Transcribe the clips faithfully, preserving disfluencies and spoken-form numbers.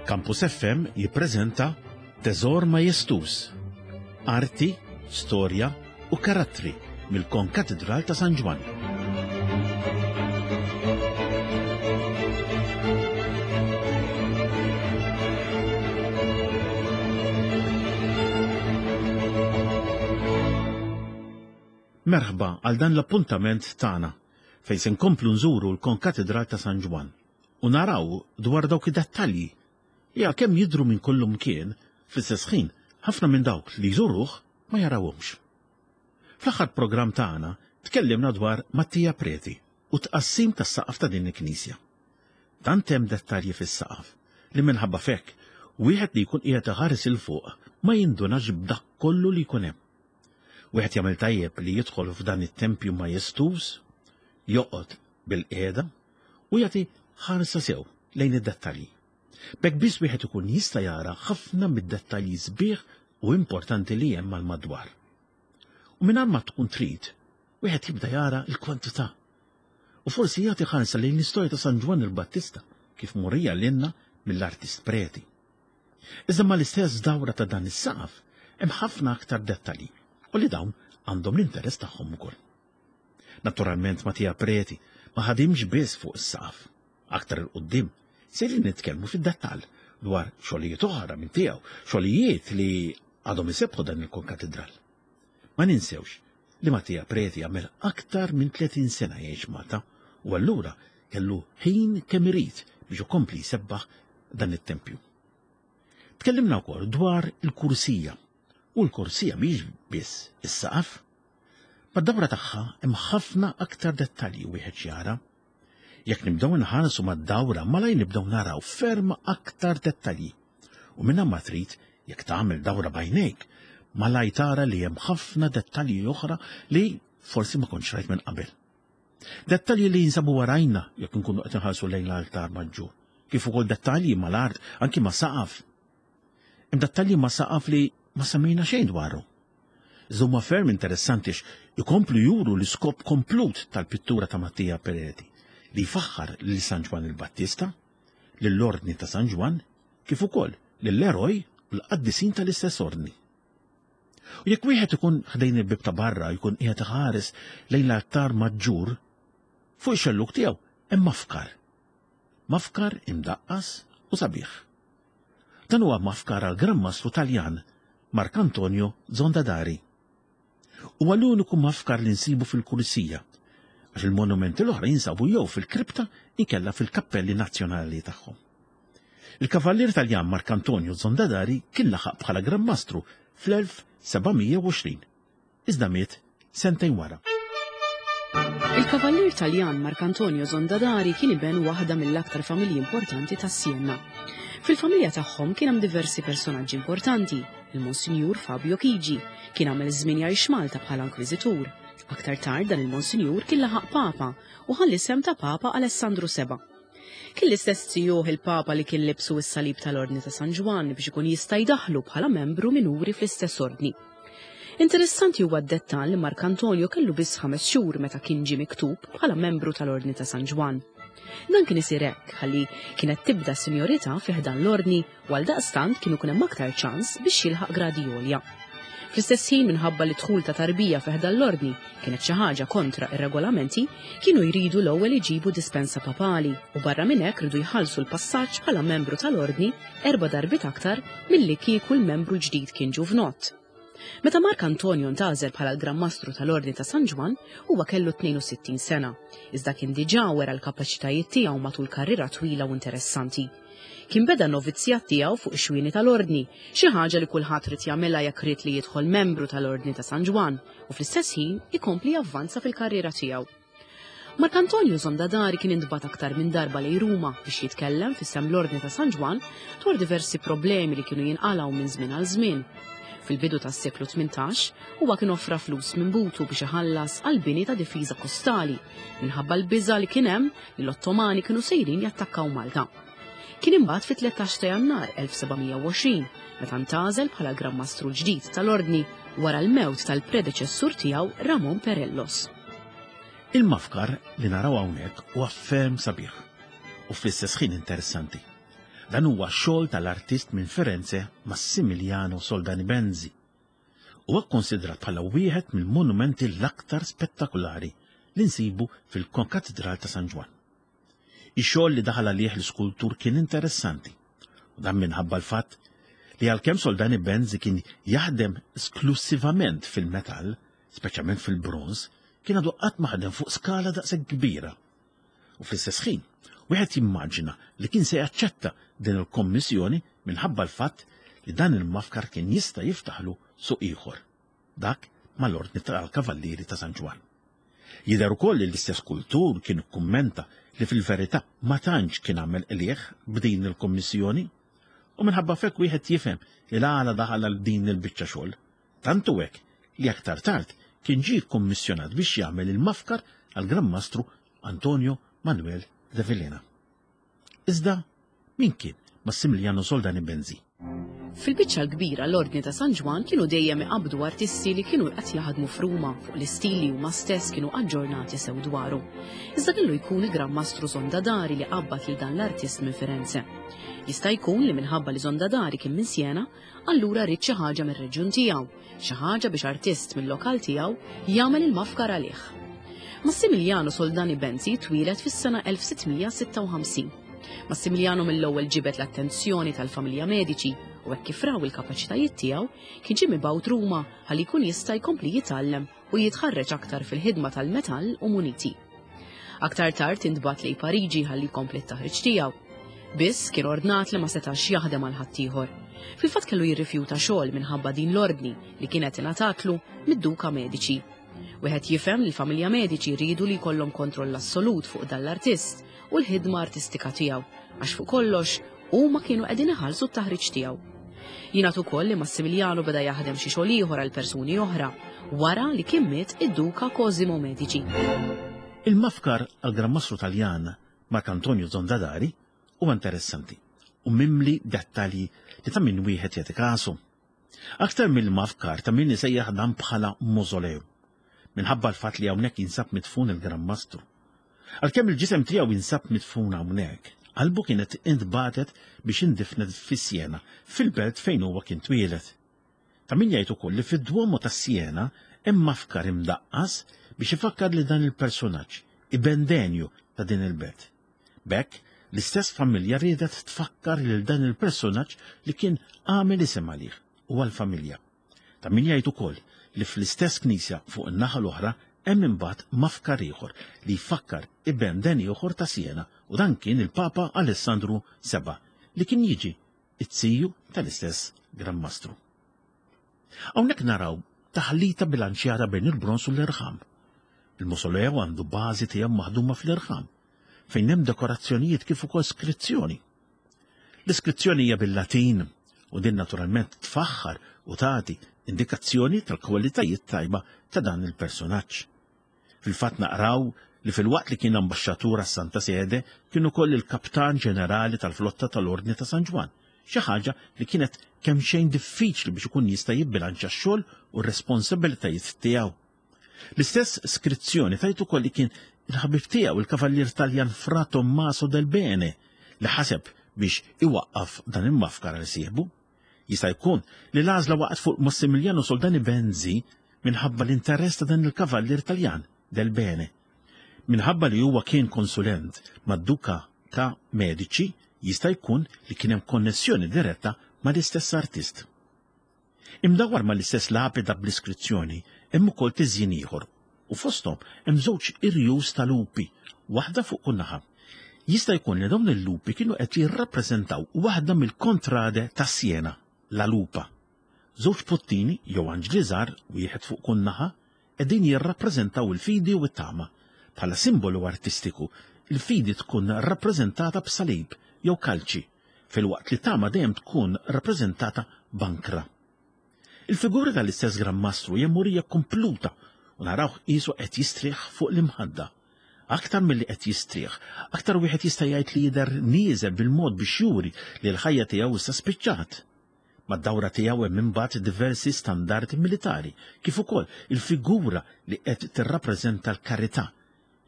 Campus F M jippreżenta Teżor Majestuż, Arti, Storja u Karattri mill-Konkatedral ta' San Ġwann. Merħba għal dan l-appuntament tagħna fejn se nkomplu nżuru l-Konkatedral ta' San Ġwann u naraw dwar dawk id-dettalji li għalkemm jidhru minn kullum kien, fl-istess ħin ħafna minn dawk li jżuruh ma jarawhomx. Fl-aħħar programm tagħna tkellimna dwar Mattia Preti u tqassim tas-saqaf ta' din il-knisja. Tant hemm dettalji fis-saqaf li minħabba fekk wieħed li jkun qiegħed iħares il fuq ma jindunax b'dak kollu li jkun hemm. Wieħed jagħmel tajjeb li jidħol f'dan it-tempju majestuż, joqgħod bil-qiegħda u jagħti ħarsa sew lejn id-dettalji. B'hekk biss wieħed ikun jista' jara ħafna mid-dettalji sbieħ u importanti li hemm mal-madwar. U mingħajr ma tkun trid, wieħed jibda jara l-kwantità. U forsi jagħti ħarsa lejn l-istorja ta' San Ġwann il-Battista kif murija lilna mill-artist Preti. Iżda mal-istess dawra ta' dan is-saqaf hemm ħafna aktar dettalji u li dawn għandhom l-interess tagħhom ukoll. Naturalment Mattia Preti ma ħadimx biss fuq is-saqaf. Aktar il quddiem sejrin nitkellmu fid-dettall dwar xogħlijiet oħra minn tiegħu, xogħlijiet li għadhom isebbħu dan il-konkatedral. Ma ninsewx li Mattia Preti għamel aktar minn tletin sena jgħix Malta u allura kellu ħin kemm irid biex ikompli jsebbaħ dan it-tempju. Tkellimna wkoll dwar il-kursija. U l-kursija mhix biss is-saqaf. Mad-dawra tagħha hemm ħafna aktar dettalji wieħed jara. Jekk nibdew inħarsu mad-dawra, malaj nibdew naraw ferm aktar dettalji. U minn ma trid, jekk tagħmel dawra bajnejk, malaj tara li hemm ħafna dettalji oħra li forsi ma kontx rajt minn qabel. Dettalji li jinsabu warajna jekk nkunu qed inħarsu lejn l-altar maġġur, kif ukoll dettalji mal-art, anki ma' saqaf. Hemm dettalji ma' saqaf li ma semmejna xejn dwaru. Iżda huma ferm interessanti ikomplu juru l-iskop komplut tal-pittura ta' Mattia Preti li jfaħħar lil San Ġwann il-Battista, lill-Ordni ta' San Ġwann, kif ukoll lill-eroj u l-qaddisin tal-istess ordni. U jekk wieħed ikun ħdejn il-bieb ta' barra jkun qiegħed iħares lejn l-altar maġġur, fuq ix-xellug tiegħu hemm mafkar. Mafkar imdaqqas u sabiħ. Dan huwa mafkar għal Gran Mastru Taljan Marcantonio Zondadari. Huwa l-uniku mafkar li nsibu fil-kursija, għax il-monumenti l-oħra jinsabu jew fil-kripta inkella fil-kappelli nazzjonali tagħhom. Il-kavallier Taljan Marcantonio Zondadari kien laħaq bħala Gran Mastru fl-elf seba' mija u għoxrin, iżda miet sentejn wara. Il-kavallier Taljan Marcantonio Zondadari kien iben waħda mill-aktar familji importanti ta' Siena. Fil-familja tagħhom kien hemm diversi personaġġi importanti. Il-Monsinjur Fabio Chigi kien għamel żmien jgħix Malta bħala inkwiżitur. Aktar tard dan il-Monsinjur kien laħaq Papa u ħa l-isem ta' Papa Alessandru Seba. Kien l-istess zijuh il-Papa li kien libsu s-salib tal-Ordni ta' San Ġwann biex ikun jista' jdaħlu bħala membru minuri fl-istess ordni. Interessanti huwa d-dettall li Marcantonio kellu biss ħames xhur meta kien ġie miktub bħala membru tal-Ordni ta' San Ġwann. Dan kien isir hekk ħalli kienet tibda sinjorità fi ħdan l-ordni u għaldaqstant kienu kun hemm aktar ċans biex jilħaq gradi għolja. Fl-istess ħin minħabba li dħul ta' tarbija fi ħdan l-ordni kienet xi ħaġa kontra ir-regolamenti, kienu jridu l-ewwel iġibu dispensa papali u barra minn hekk ridu jħallsu l-passaġġ bħala membru tal-ordni erba' darbiet aktar milli kieku l-membru l-ġdid kien ġuvnott. Meta Marcantonio ntgħażel bħala l-Gran Mastru tal-Ordni ta' San Ġwann, huwa kellu tnejn u sittin sena, iżda kien diġà wera l-kapaċitajiet tiegħu matul karriera twila u interessanti. Kien beda n-novizzjat tiegħu fuq ix-xwieni tal-Ordni, xi ħaġa li kulħadd ried jagħmilha jekk ried li jidħol membru tal-Ordni ta' San Ġwann u fl-istess ħin ikompli javvanza fil-karriera tiegħu. Marcantonio Zondadari kien intbagħat aktar minn darba lejn Ruma biex jitkellem f'isem l-Ordni ta' San Ġwann dwar diversi problemi li kienu jinqalgħu minn żmien għal żmien. Fil-bidu tas-seklu tmintax, huwa kien offra flus minn butu biex iħallas għal bini ta' difiża kostali minħabba l-biża' li kien hemm li l-Ottomani kienu sejrin jattakkaw Malta. Kien imbagħad fit-tlettax ta' Jannar elf seba' mija u għoxrin meta ntgħażel bħala Gran Mastru l-ġdid tal-Ordni wara l-mewt tal-predeċessur tiegħu Ramon Perellos. Il-mafkar li naraw hawnhekk huwa ferm sabiħ u fl-istess ħin interessanti. Dan huwa xogħol tal-artist minn Firenze Massimiliano Soldani Benzi. Huwa kkonsidrat bħala wieħed mill-monumenti l-aktar spettakolari li nsibu fil-Konkatedral ta' San Ġwann. Ix-xogħol li daħal għalih l-iskultur kien interessanti, u dan minħabba l-fatt li għalkemm Soldani Benzi kien jaħdem esklusivament fil-metall, speċjalment fil-bronż, kien għadu qatt ma ħadem fuq skala daqshekk kbira. U fl-istess ħin, wieħed jimmaġina li kien se jaċċetta din il-kommissjoni minħabba l-fatt li dan il-mafkar kien jista' jiftaħlu suq ieħor, dak mal-Ordni tal-Kavallieri ta' San Ġwann. Jidher ukoll li l-istess kultur kien ikkummenta li fil-verità ma tantx kien għamel qligħ b'din il-kommissjoni, u minħabba f'hekk wieħed jifhem li l-għala daħal għal din il-biċċa xogħol. Tant hu hekk li aktar tard kien ġie kkommissjonat biex jagħmel il-mafkar għal Gran Mastru Antonio Manuel de Villena. Iżda min kien Massimiliano Soldani Benzi? Fil-biċċa l-kbira l-Ordni ta' San Ġwann kienu dejjem iqabbdu artisti li kienu qed jaħdmu f'Ruma fuq l-istil li huma stess kienu aġġornati sew dwaru. Iżda kellu jkun il-Gran Mastru Zondadari li qabbad lil dan l-artist minn Firenze. Jista' jkun li minħabba li Zondadari kien minn Siena, allura ried xi ħaġa mir-reġjun tiegħu, xi ħaġa biex artist mill-lokal tiegħu jagħmel il-mafkar għalih. Massimiliano Soldani Benzi twieled fis-sena elf sitt mija sitta u ħamsin. Massimiliano mill-ewwel ġibed l-attenzjoni tal-familja Medici u hekk kif raw il-kapaċitajiet tiegħu kien ġie mibgħut Ruma ħalli jkun jista' jkompli jitgħallem u jitħarreġ aktar fil-ħidma tal-metall u muniti. Aktar tard intbagħat lejn Pariġi ħalli jkompli t-taħriġ tiegħu. Biss kien ordnat li ma setax jaħdem għal ħaddieħor. Fil-fatt kellu jirrifjuta xogħol minħabba din l-ordni li kienet ingħatatlu mid-Duka Medici. Wieħed jifhem li l-familja Medici riedu li jkollhom kontroll assolut fuq dan l-artist u l-ħidma artistika tiegħu, għax fuq kollox huma kienu qegħdin iħallsu t-taħriġ tiegħu. Jingħad ukoll li Massimiliano beda jaħdem xi xogħol ieħor għal persuni oħra wara li kien miet id-Duka Cosimo Medici. Il-mafkar għal Gran Mastru Taljan Marc Antonio Zondadari huwa interessanti u mimli dettalji li ta' min wieħed jagħti kasu. Aktar mill-mafkar ta' min isejjaħ dan bħala mausolew, minħabba l-fatt li hawnhekk jinsab midfun il-Gran Mastru. Għalkemm il-ġisem tiegħu jinsab midfun hawnhekk, qalbu kienet intbatet biex indifnet fi Siena, fil-belt fejn huwa kien twieled. Ta' min jgħid ukoll li fid-Duomo ta' Siena hemm mafkar imdaqqas biex ifakkar li dan il-personaġġ, ibendenju ta' din il-belt. B'hekk, l-istess familja riedet tfakkar lil dan il-personaġġ li kien għamel isem għalih u għall-familja. Ta' min jgħid ukoll li fl-istess knisja fuq in-naħa l-oħra hemm imbagħad mafkar ieħor li jfakkar iben den ieħor ta' Siena, u dan kien il-Papa Alessandru seba' li kien jiġi it-siju tal-istess Gran Mastru. Hawnhekk naraw taħlita bilanċjata bejn il-bronż u l-irħam. Il-mausoleo għandu bażi tiegħu maħduma fl-irħam, fejn hemm dekorazzjonijiet kif ukoll skrizzjoni. L-iskrizzjoni hija bil-Latin u din naturalment tfaħħar u tagħti indikazzjoni tal-kwalitajiet tajba ta' dan il-personaġġ. Fil-fatt naqraw li fil-waqt li kien ambaxxatur għas-Santa Sede kien ukoll il-kaptan ġenerali tal-flotta tal-Ordni ta' San Ġwann, xi ħaġa li kienet kemm xejn diffiċli biex ikun jista' jibbilanċja x-xogħol u r-responsabilitajiet tiegħu. L-istess skrizzjoni tajt ukoll li kien il-ħabib tiegħu il-kavallier Taljan Fra Tommaso del Bene li ħaseb biex iwaqqaf dan il-mafkar għal sieħbu. Jista' jkun li l-għażla waqgħet fuq Massimiliano Soldani Benzi minħabba l-interess ta' dan il-kavallier Taljan del Bene. Minħabba li huwa kien konsulent mad-Duka ta' Medici, jista' jkun li kien hemm konnessjoni diretta mal-istess artist. Imdawwar mal-istess lapida bl-iskrizzjoni hemm ukoll tiżjin ieħor u fosthom hemm żewġ irjus ta' lupi, waħda fuq kull naħa. Jista' jkun li dawn il-lupi kienu qed jirrappreżentaw waħda mill-kontrade ta' Siena, la Lupa. Żewġ puttini jew anġli żgħar wieħed fuq kull naħa qegħdin jirrappreżentaw il-fidi u t-tama. Bħala simbolu artistiku, il-fidi tkun rappreżentata b'salib jew kalċi, filwaqt li tama dejjem tkun rappreżentata b'ankra. Il-figura tal-istess Gran Mastru hija murija kompluta u narawh qisu qed jistrieħ fuq l-imħadda. Aktar milli qed jistrieħ, aktar wieħed jista' jgħid li jidher nieżel bil-mod biex juri li l-ħajja tiegħu issa spiċċat. Mad-dawra tiegħu hemm imbagħad diversi standardi militari, kif ukoll il-figura li qed tirrappreżenta l-karità,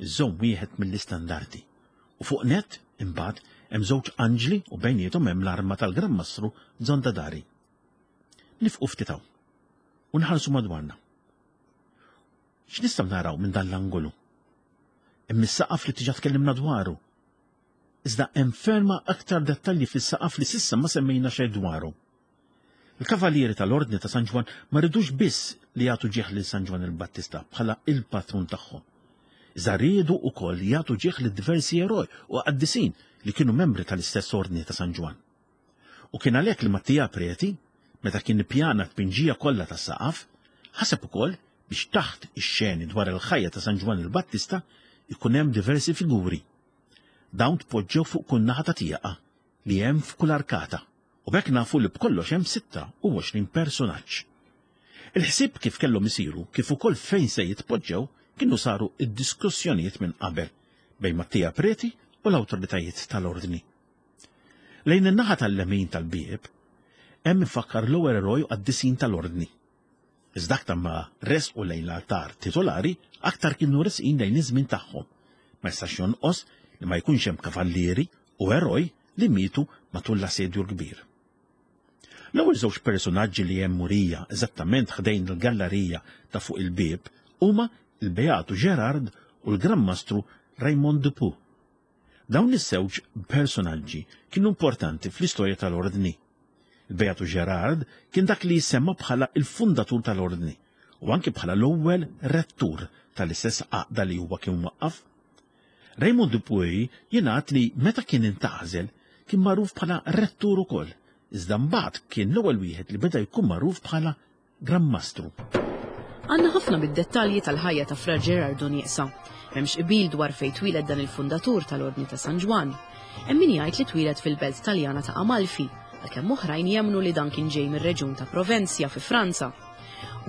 iżomm wieħed mill-istandardi. U fuq net imbagħad hemm żewġ anġli u bejniethom hemm l-arma tal-Gran Mastru Zondadari. Nifqu ftit hawn u nħarsu madwarna. X'nistgħu naraw minn dan l-angolu? Hemm is-saqaf li diġà tkellimna dwaru. Iżda hemm ferma aktar dettalji fis-saqaf li s'issa ma semmejna xejn dwaru. Il-Kavallieri tal-Ordni ta' San Ġwann ma ridux biss li jagħtu ġieħ lil San Ġwann il-Battista bħala il-patrun tagħhom. Iżda riedu wkoll jagħtu ġieħ lil diversi eroj u qaddisin li kienu membri tal-istess Ordni ta' San Ġwann. U kien għalhekk li Mattia Preti, meta kien ippjana t-tpinġija kollha tas-saqaf, ħaseb ukoll biex taħt ix-xeni dwar il-ħajja ta' San Ġwann il-Battista ikun hemm diversi figuri. Dawn tpoġġew fuq kull naħa ta' tieqa li hemm f'kull arkata. U b'hekk nafu li b'kollox hemm sitta u għoxrin personaġġ. Il-ħsieb kif kellhom isiru, kif ukoll fejn se jitpoġġew, kienu saru id-diskussjonijiet minn qabel bejn Mattia Preti u l-awtoritajiet tal-ordni. Lejn in-naħa tal-lemin tal-bieb hemm ifakkar l-ewwel eroj qaddisin tal-ordni. Iżda aktar ma resqu lejn l-altar titolari, aktar kienu resqin lejn iż-żmien tagħhom. Ma jistax jonqos li ma jkunx hemm kavallieri u eroj li mietu matul l-assedju l-kbir. L-ewwel żewġ personaġġi li hemm murija eżattament ħdejn il-gallerija ta' fuq il-bieb huma il-Beatu Gerard u l-Gran Mastru Raymond Dupuy. Dawn iż-żewġ personaġġi kienu importanti fl-istorja tal-ordni. Il-Beatu Gerard kien dak li jissemma bħala il-fundatur tal-ordni u anki bħala l-ewwel rettur tal-istess għaqda li huwa kien waqqaf. Raymond Dupuy jingħad li meta kien intgħażel kien magħruf bħala rettur ukoll, iżda mbagħad kien l-ewwel wieħed li beda jkun magħruf bħala Gran Mastru. Għandna ħafna mid-dettalji tal-ħajja ta' Fra Gerardo nieqsa. M'hemmx qbil dwar fejn twieled dan il-fundatur tal-Ordni ta' San Ġwann. Hemm min jgħid li twieled fil-belt Taljana ta' Amalfi, għalkemm oħrajn jemmnu li dan kien ġej mir-reġjun ta' Provenzja fi Franza.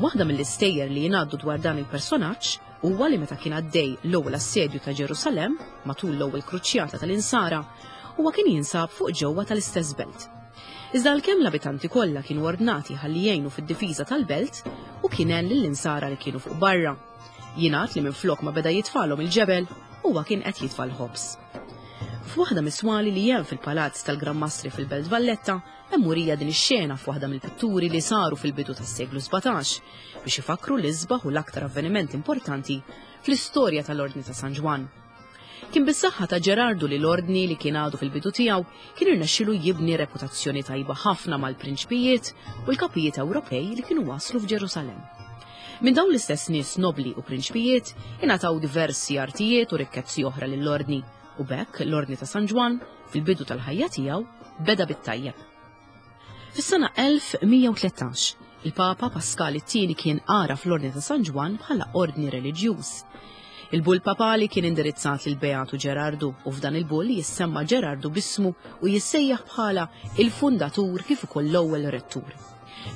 Waħda mill-istejjer li jingħaddu dwar dan il-personaġġ huwa li meta kien għaddej l-ewwel assedju ta' Ġerusalemm matul l-ewwel kruċjata tal-Insara, huwa kien jinsab fuq ġewwa tal-istess belt. Iżda għalkemm l-abitanti kollha kienu ordnati ħalli jgħinu fid-difiża tal-belt u kien għen lill-insara li kienu fuq barra. Jingħad li minflok ma beda jitfalhom il-ġebel, huwa kien qed jitfa' l-ħobż. F'waħda mis-swali li hemm fil-palazz tal-Gran Mastri fil-Belt Valletta, hemm murija din ix-xena f'waħda mill-pitturi li saru fil-bidu tas-seklu sbatax biex ifakru l-isbaħ u l-aktar avveniment importanti fl-istorja tal-Ordni ta' San Ġwann. Kien bis-saħħa ta' Gerardu li l-ordni li kien għadu fil-bidu tiegħu kien irnexxielu jibni reputazzjoni tajba ħafna mal-prinċpijiet u l-kapijiet Ewropej li kienu waslu f'Ġerusalemm. Minn dawn l-istess nies nobli u prinċpijiet ingħataw diversi artijiet u rikkezzi oħra lill-ordni u b'hekk l-Ordni ta' San Ġwann fil-bidu tal-ħajja tiegħu beda bit-tajjeb. Fis-sena elf mija u tlettax, il-Papa Pascal it-tieni kien għaraf l-Ordni ta' San Ġwann bħala ordni reliġjuż. Il-bull papali kien indirizzat lil Beatu Gerardu u f'dan il-bull jissemma Gerardu bismu u jissejjaħ bħala il-fundatur kif ukoll l-ewwel rettur.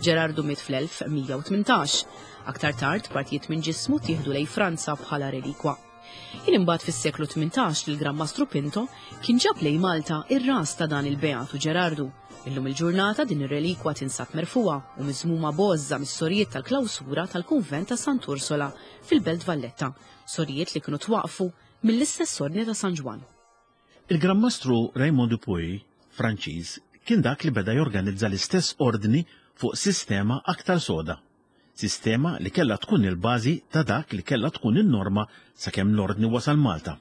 Gerardu miet fl-elf mija u tmintax. Aktar tard partijiet minn ġismu tieħdu lejn Franza bħala relikwa. Kien imbagħad fis-seklu tmintax li l-Gran Mastru Pinto kien ġab lejn Malta ir-ras ta' dan il-Beatu Gerardu. Illum il-ġurnata din ir-relikwa tinsab merfuha u miżmuma bożża mis-sorijiet tal-klawsura tal-Kunvent ta' Sant'Ursola fil-Belt Valletta, sorijiet li kienu twaqfu mill-istess Ordni ta' San Ġwann. Il-Gran Mastru Raymond Dupuy, Franċiż, kien dak li beda jorganizza l-istess ordni fuq sistema aktar soda. Sistema li kellha tkun il-bażi ta' dak li kellha tkun in-norma sakemm l-ordni wasal Malta.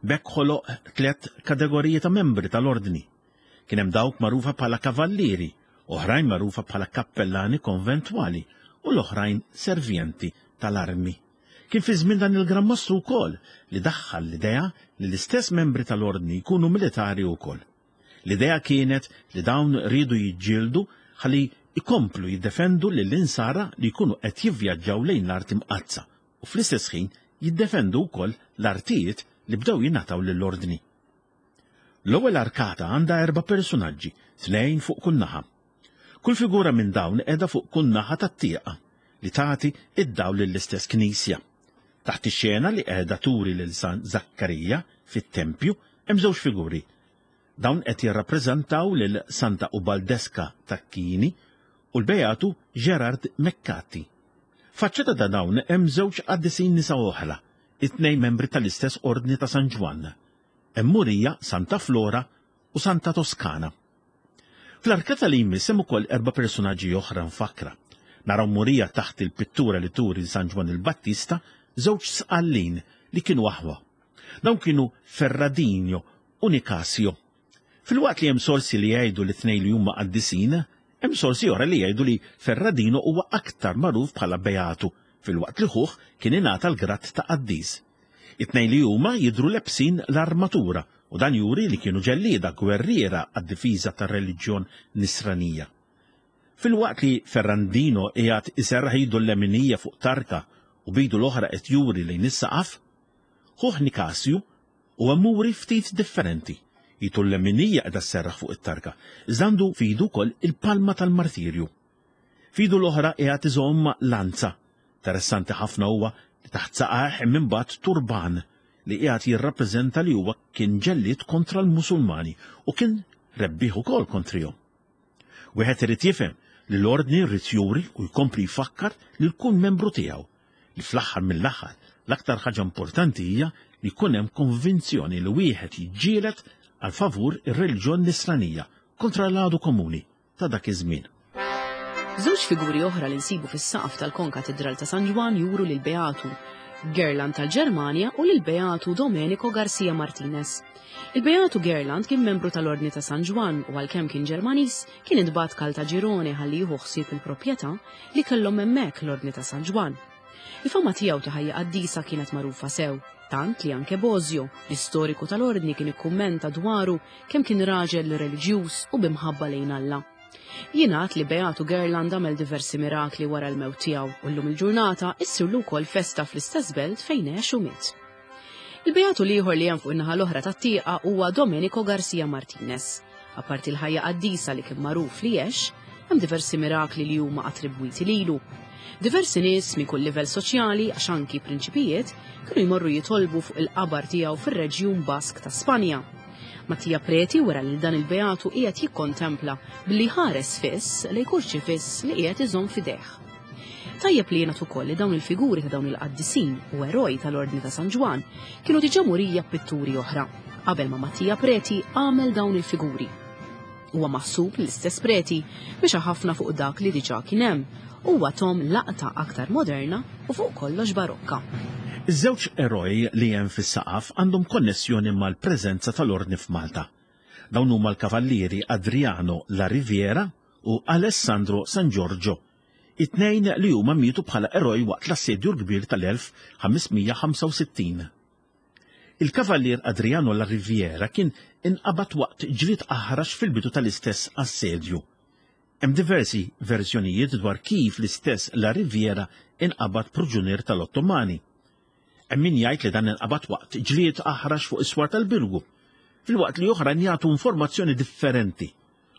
B'hekk ħoloq tliet kategoriji ta' membri tal-ordni. Kien hemm dawk magħrufa bħala kavallieri, oħrajn magħrufa bħala kappellani konventwali u l-oħrajn servjenti tal-armi. Kien fi żmien dan il-Gran Mastru wkoll li daħħal l-idea li l-istess membri tal-ordni jkunu militari wkoll. L-idea kienet li dawn riedu jiġġieldu ħalli ikomplu jiddefendu lill-insara li jkunu qed jivvjaġġaw lejn l-art imqaddsa u fl-istess ħin jiddefendu wkoll l-artijiet li bdew jingħataw lill-ordni. L-ewwel arkata għandha erba' personaġġi, tnejn fuq kull naħa. Kull figura minn dawn qiegħda fuq kull naħa tat-tieqa li tagħti id-dawl lill-istess knisja. Taħt ix-xena li qiegħda turi lil San Zakkarija fit-tempju hemm żewġ figuri. Dawn qed jirrappreżentaw lil Santa Ubaldeska Tacchini u l-Beatu Gerard Meccati. Faċċata ta' dawn hemm żewġ qaddisin nisa oħra, it-tnejn membri tal-istess Ordni ta' San Ġwann. Hemm murija Santa Flora u Santa Toskana. Fl-arkata li jmiss hemm ukoll erba' personaġġi oħra mfakkra. Naraw murija taħt il-pittura li turi San Ġwann il-Battista żewġ sqallin li kienu aħwa. Dawn kienu Ferradino u Nicasio. Filwaqt li hemm sorsi li jgħidu li tnejn li huma qaddisin, hemm sorsi oħra li jgħidu li Ferradino huwa aktar magħruf bħala Beatu, filwaqt li ħuh kien ingħata l-grad ta' qaddis. It-tnejn li huma jidhru lebsin l-armatura u dan juri li kienu ġellieda gwerriera għad-difiża tar-reliġjon nisranija. Filwaqt li Ferrandino qiegħed iserraħ idu l-leminija fuq tarka u b'idu l-oħra qed juri lejn is-saqaf, ħuh Nikasju huwa muri ftit differenti. Idu l-leminija qiegħda sserraħ fuq it-tarka, iżda għandu f'idu wkoll il-palma tal-martirju. F'idu l-oħra qiegħed iżomm lanza. Interessanti ħafna huwa li taħt saqajh hemm imbagħad turban li qiegħed jirrappreżenta li huwa kien ġellied kontra l-Musulmani u kien rebbieħ ukoll kontrihom. Wieħed irid jifhem li l-ordni rrid juri u jkompli jfakkar lil kull membru tiegħu li fl-aħħar mill-aħħar l-aktar ħaġa importanti hija li jkun hemm konvinzjoni li wieħed jiġġieled għal favur ir-reliġjon nisranija kontra l-għadu komuni ta' dak iż-żmien. Żewġ figuri oħra li nsibu fis-saqaf tal-Konkatedral ta' San Ġwann juru lil Beatu Gerland tal-Ġermanja u lil Beatu Domenico Garcia Martinez. Il-Beatu Gerland kien membru tal-Ordni ta' San Ġwann u għalkemm kien Ġermaniż kien intbagħat Caltagirone ħalli jieħu ħsieb il-proprjetà li kellhom hemmhekk l-Ordni ta' San Ġwann. Il-fama tiegħu ta' ħajja qaddisa kienet magħrufa sew, tant li anke Bosio, l-istoriku tal-Ordni, kien ikkummenta dwaru kemm kien raġel reliġjuż u b'imħabba lejn Alla. Jingħad li Beatu Gerland għamel diversi mirakli wara l-mewt tiegħu u llum il-ġurnata issirlu wkoll festa fl-istess belt fejn għex u miet. Il-Beatu l-ieħor li hemm fuq in-naħa l-oħra tat-tieqa huwa Domenico Garcia Martinez. Apparti l-ħajja qaddisa li kien magħruf li għex, hemm diversi mirakli li huma attribwiti lilu. Diversi nies minn kull livell soċjali, għax anki prinċipijiet, kienu jmorru jitolbu fuq il-qabar tiegħu fir-reġjun Bask ta' Spanja. Mattia Preti wera li dan il-Beatu qiegħed jikkontempla billi ħares fiss lejn kurċifiss li qiegħed iżomm f'idejh. Tajjeb li jingħad ukoll li dawn il-figuri ta' dawn il-qaddisin u eroj tal-Ordni ta' San Ġwann kienu diġà murija b'pitturi oħra qabel ma Mattia Preti għamel dawn il-figuri. Huwa maħsub li l-istess Preti mexa ħafna fuq dak li diġà kien hemm u huwa tahom laqta aktar moderna u fuq kollox barokka. Iż-żewġ eroj li hemm fis-saqaf għandhom konnessjoni mal-preżenza tal-Ordni f'Malta. Dawn huma l-kavallieri Adriano La Riviera u Alessandro San Giorgio, it-tnejn li huma mietu bħala eroj waqt l-assedju l-kbir tal-elf ħames mija ħamsa u sittin. Il-kavallier Adriano La Riviera kien inqabad waqt ġlied aħrax fil-bidu tal-istess assedju. Hemm diversi verżjonijiet dwar kif l-istess La Riviera inqabad proġunier tal-Ottomani. Hemm min jgħid li dan inqabad waqt ġlied aħrax fuq is-swar tal-Birgu, filwaqt li oħrajn jagħtu informazzjoni differenti.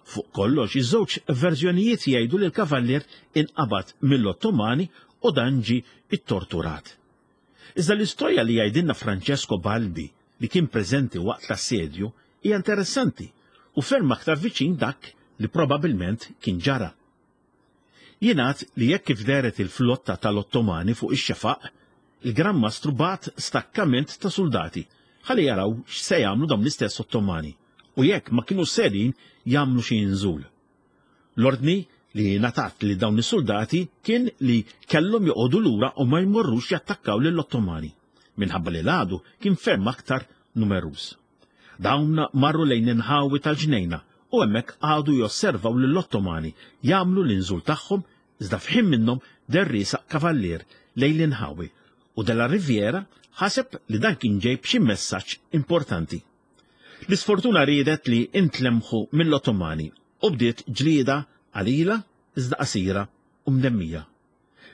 Fuq kollox, iż-żewġ verżjonijiet jgħidu li l-kavallier inqabad mill-Ottomani u dan ġie ittorturat. Iżda l-istorja li jgħidilna Francesco Balbi, li kien preżenti waqt l-assedju, hija interessanti u ferm aktar viċin dak li probabilment kien ġara. Jingħad li jekk kif dehret il-flotta tal-Ottomani fuq ix-xefaq, il-Gran Mastru bagħat stakkament ta' soldati ħalli jaraw x'se jagħmlu dawn l-istess Ottomani u jekk ma kienu serin jagħmlu xi inżul. L-ordni li ngħatat li dawn is-soldati kien li kellhom joqogħdu lura u ma jmorrux jattakkaw lill-Ottomani, minħabba li l-għadu kien ferm aktar numeruż. Dawn marru lejn inħawi tal-ġnejna u hemmhekk għadu josservaw lill-Ottomani jagħmlu l-inżul tagħhom, iżda f'ħin minnhom deher riesaq kavallier lejn l-inħawi u Della Riviera ħaseb li dan kien ġej b'xi messaġġ importanti. L-isfortuna riedet li intlemħu mill-Ottomani u bdiet ġlieda qalila iżda qasira u mdemmija.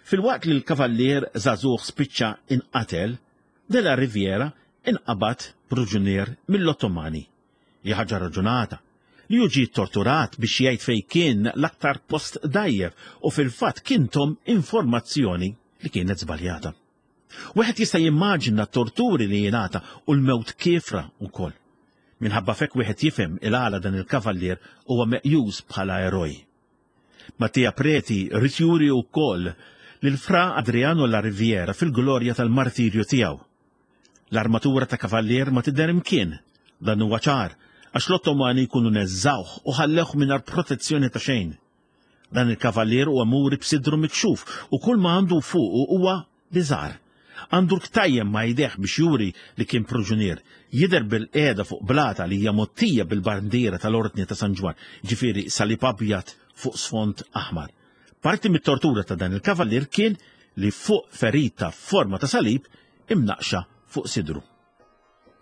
Filwaqt li l-kavallier żagħżugħ spiċċa inqatel, Della Riviera inqabad proġunier mill-Ottomani. Hi ħaġa raġunata li hu ġie torturat biex jgħid fejn kien l-aktar post dajjef u fil-fatt kien tahom informazzjoni li kienet żbaljata. Wieħed jista' jimmaġina t-torturi li jingħata u l-mewt kiefra wkoll. Minħabba fek wieħed jifhem il-għala dan il-kavallier huwa meqjus bħala eroj. Mattia Preti ried juri wkoll lil Fra Adriano La Riviera fil-glorja tal-martirju tiegħu. L-armatura ta' kavallier ma tidher imkien, dan huwa ċar, għax l-Ottomani jkunu neżżawh u ħallewh mingħajr protezzjoni ta' xejn. Dan il-kavallier huwa muri b'sidru mikxuf u kull ma għandu fuqu huwa biżar. Għandu l-ktajjem ma' jdejh biex juri li kien proġunier. Jidher bil-qiegħda fuq blata li hija mgħottija bil-bandiera tal-Ordni ta' San Ġwann, ġifieri salib abjad fuq sfond aħmar. Parti mit-tortura ta' dan il-kavallier kien li fuq ferita f'forma ta' salib imnaqxa fuq sidru.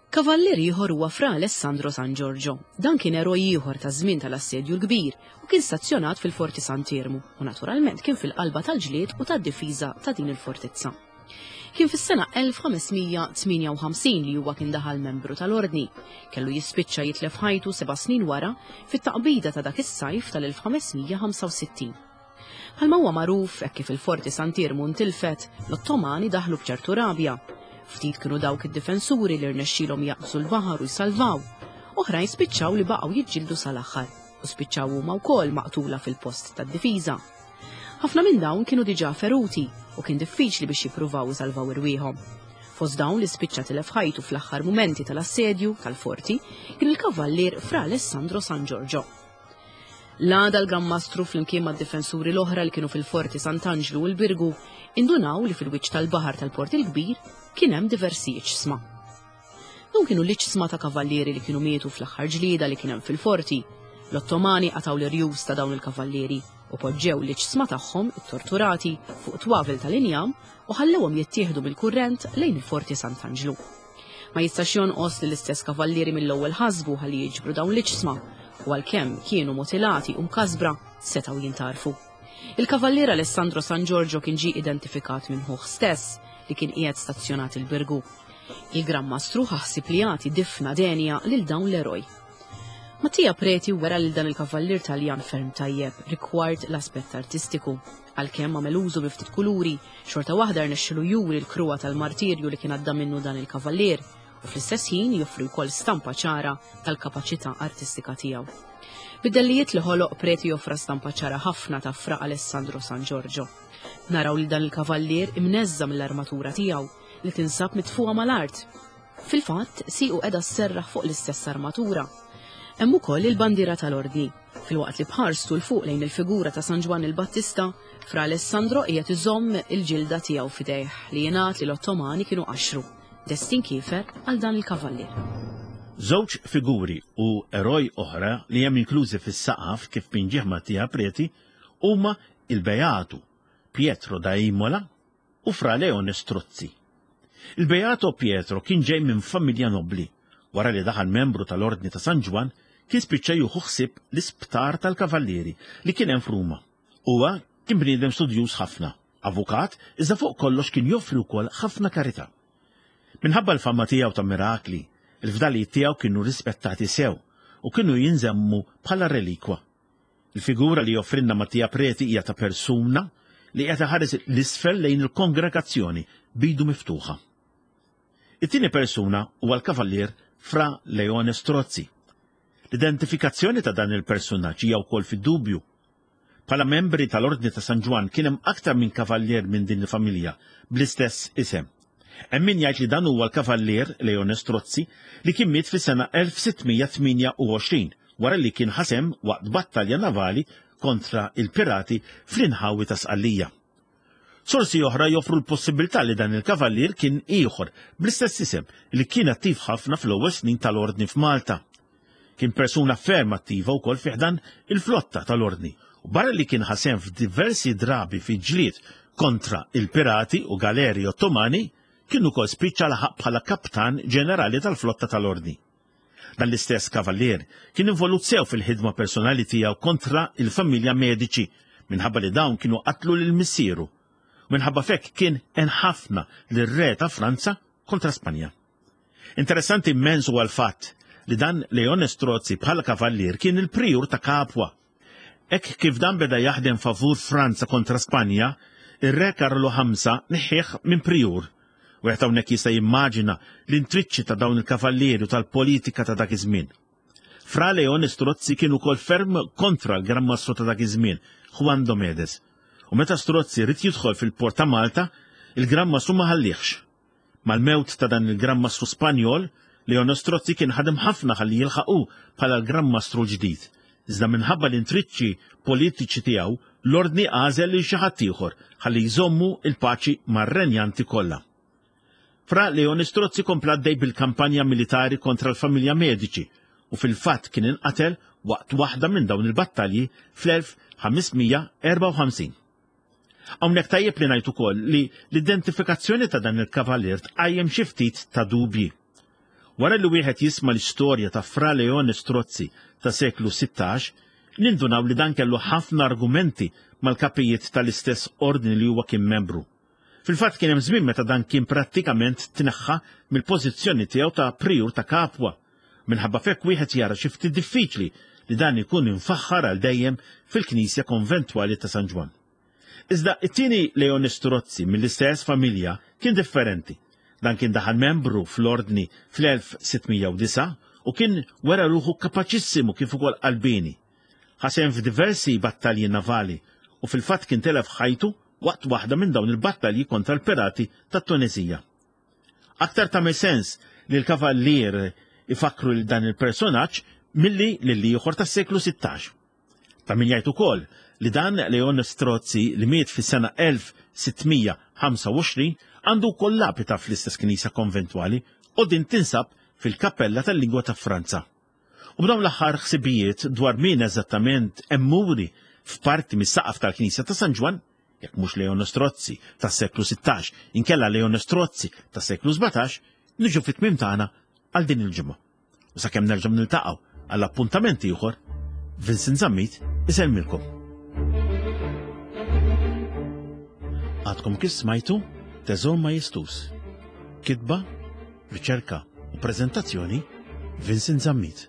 Kavallier ieħor huwa Fra Alessandro San Giorgio. Dan kien eroj ieħor taż-żmien tal-Assedju l-Kbir u kien stazzjonat fil-Forti Sant'Iermu u naturalment kien fil-qalba tal-ġlied u tad-difiża ta' din il-fortizza. Kien fis-sena elf ħames mija tmienja u ħamsin li huwa kien daħal membru tal-Ordni. Kellu jispiċċa jitlef ħajtu seba' snin wara fit-taqbida ta' dak is-sajf tal-elf ħames mija ħamsa u sittin. Bħalma huwa magħruf, hekk kif il-Forti Sant'Iermu ntilfet, l-Ottomani daħlu b'ċertu rabja. Ftit kienu dawk id-difensuri li rnexxielhom jaqbżu l-baħar u jsalvaw. Oħrajn spiċċaw li baqgħu jiġġieldu sal-aħħar u spiċċaw huma wkoll maqtula fil-post tad-difiża. Ħafna minn dawn kienu diġà feruti u kien diffiċli biex jippruvaw isalvaw irwieħhom. Fost dawn li spiċċa tilef ħajtu fl-aħħar mumenti tal-assedju tal-forti kien il-kavallier Fra Alessandro San Giorgio. L-għada l-Gran Mastru flimkien mad-difensuri l-oħra li kienu fil-Forti Sant'Anġlu u l-Birgu indunaw li fil-wiċċ tal-baħar tal-Port il-Kbir kien hemm diversi iġsma. Dawn kienu l-iġsma ta' kavallieri li kienu mietu fl-aħħar ġlieda li kien hemm fil-forti. L-Ottomani qataw l-irjus ta' dawn il-kavallieri u poġġew l-iġsma tagħhom it-torturati fuq twavel tal-injam u ħallewhom jittieħdu bil-kurrent lejn il-Forti Sant'Anġlu. Ma jistax jonqos li l-istess kavallieri mill-ewwel ħasbu ħalli jiġbru dawn l-iġsma u għalkemm kienu mutilati u mkasbra setgħu jintarfu. Il-kavallier Alessandro San Giorgio kien ġie identifikat minn ħuh stess li kien qiegħed stazzjonat il-Birgu. Il-Gran Mastru ħassib li jagħti difna denja lil dawn l-eroj. Mattia Preti wera lil dan il-kavallier Taljan ferm tajjeb rigward l-aspett artistiku. Għalkemm għamel użu bi ftit kuluri, xorta waħda rnexxielu juri l-kruha tal-martirju li kien għadda minnu dan il-kavallier u fl-istess ħin joffri wkoll stampa ċara tal-kapaċità artistika tiegħu. Bid-dellijiet li ħoloq Preti joffra stampa ċara ħafna ta' Fra Alessandro San Giorgio. Naraw li dan il-kavallier imneżża mill-armatura tiegħu li tinsab mitfuqa mal-art. Fil-fatt, siequ qiegħda sserraħ fuq l-istess armatura. Hemm ukoll il-bandiera tal-Ordni. Filwaqt li bħarstu l fuq lejn il-figura ta' San Ġwann il-Battista, Fra Alessandro qiegħed iżomm il-ġilda tiegħu f'idejh li jingħad li l-Ottomani kienu qaxru. Destin kiefer għal dan il-kavallier. Żewġ figuri u eroj oħra li hemm inklużi fis-saqaf kif pinġieħ Mattia Preti huma il-Beatu Pietro da Imola u Fra Leone Strozzi. Il-Beato Pietro kien ġej minn familja nobli. Wara li daħal membru tal-Ordni ta' San Ġwann, kien spiċċa jieħu ħsieb l-isptar tal-Kavallieri li kien hemm f'Ruma. Huwa kien bniedem studjuż ħafna, avukat, iżda fuq kollox kien joffri wkoll ħafna karità. Minħabba l-fama tiegħu ta' mirakli, il-fdalijiet tiegħu kienu rispettati sew u kienu jinżemmu bħala relikwa. Il-figura li joffrinna Mattia Preti hija ta' persuna li qed iħares l-isfel lejn il-kongregazzjoni bidu miftuħa. It-tieni persuna huwa l-kavallier Fra Leone Strozzi. L-identifikazzjoni ta' dan il-personaġġ hija wkoll fid-dubju. Bħala membri tal-Ordni ta' San Ġwann kien hemm aktar minn kavallier minn din il-familja bl-istess isem. Hemm min jgħid li dan huwa l-kavallier Leone Strozzi li kien miet fis-sena elf sitt mija tmienja u għoxrin wara li kien ħasem waqt battalja navali kontra il-pirati fl-inħawi ta' Sqallija. Sorsi oħra joffru l-possibilità li dan il-kavallier kien ieħor bl-istess isem li kien attiv ħafna fl-ewwel snin tal-Ordni f'Malta. Kien persuna ferm attiva wkoll fi ħdan il-flotta tal-Ordni u barra li kien ħasem f'diversi drabi fi ġlied kontra il-pirati u galeri Ottomani, kien ukoll spiċċa laħaq bħala kaptan ġenerali tal-flotta tal-Ordni. Dan l-istess kavallier kien involut sew fil-ħidma personali tiegħu kontra il-familja Medici minħabba li dawn kienu qatlu lil missieru. Minħabba fekk kien enħafna lir-re ta' Franza kontra Spanja. Interessanti immens huwa l-fatt li dan Leone Strozzi bħala kavallier kien il-prijur ta' Capua. Hekk kif dan beda jaħdem favur Franza kontra Spanja, ir-re Karlu ħamsa neħħieħ minn prijur. Wieħed hawnhekk jista' jimmaġina l-intriċċi ta' dawn il-kavallieri u tal-politika ta' dak iż-żmien. Fra Leone Strozzi kien ukoll ferm kontra l-Gran Mastru ta' dak iż-żmien, Juan Domedes. U meta Strozzi rid jidħol fil-port ta' Malta, il-Gran Mastru ma ħallihx. Mal-mewt ta' dan il-Gran Mastru Spanjol, Leone Strozzi kien ħadem ħafna ħalli jilħaqu bħala l-Gran Mastru l-ġdid. Iżda minħabba l-intriċċi politiċi tiegħu, l-ordni għażel lil xi ħadd ieħor ħalli jżommu il-paċi mar-renjanti kollha. Fra Leone Strozzi kompla għaddej bil-kampanja militari kontra l-familja Medici u fil-fatt kien inqatel waqt waħda minn dawn il-battalji fl-elf ħames mija erbgħa u ħamsin. Hawnhekk tajjeb li ngħid ukoll li l-identifikazzjoni ta' dan il-kavalier tqajjem xi ftit ta' dubji. Wara li wieħed jisma' l-istorja ta' Fra Leone Strozzi ta' seklu sittax, nindunaw li dan kellu ħafna argumenti mal-kapijiet tal-istess ordni li huwa kien membru. Fil-fatt kien hemm żmien meta dan kien prattikament tneħħa mill-pożizzjoni tiegħu ta' prijur ta' Capua. Minħabba fekk wieħed jara xi ftit diffiċli li dan ikun infaħħar għal dejjem fil-Knisja Konventwali ta' San Ġwann. Iżda it-tieni Leone Strozzi mill-istess familja kien differenti. Dan kien daħal membru fl-ordni fl-elf sitt mija u disgħa u kien wera ruħu kapaċissimu kif ukoll qalbini. Ħasem f'diversi battalji navali u fil-fatt kien telef ħajtu waqt waħda minn dawn il-battalji kontra l-pirati tat-Tunisija. Aktar tagħmel sens li l-kavallier ifakru lil dan il-personaġġ milli lil ieħor tas-seklu sittax. Ta' min jgħid ukoll li dan Leone Strozzi li miet fis-sena elf sitt mija ħamsa u għoxrin għandu wkoll lapita fl-istess knisja konventwali u din tinsab fil-kappella tal-lingwa ta' Franza. U b'dawn l-aħħar ħsibijiet dwar min eżattament emmuri f'parti mis-saqaf tal-Knisja ta' San Ġwann, jekk mhux Leone Strozzi tas-seklu sittax, inkella Leone Strozzi tas-seklu sbatax, niġu fit-tmiem tagħna għal din il-ġimgħa. U sakemm nerġgħu niltaqgħu għall appuntament ieħor, Vincent Zammit isellmilkom. Għadkom kif smajtu Teżor Majestus. Kitba, riċerka u prezentazzjoni Vincent Zammit.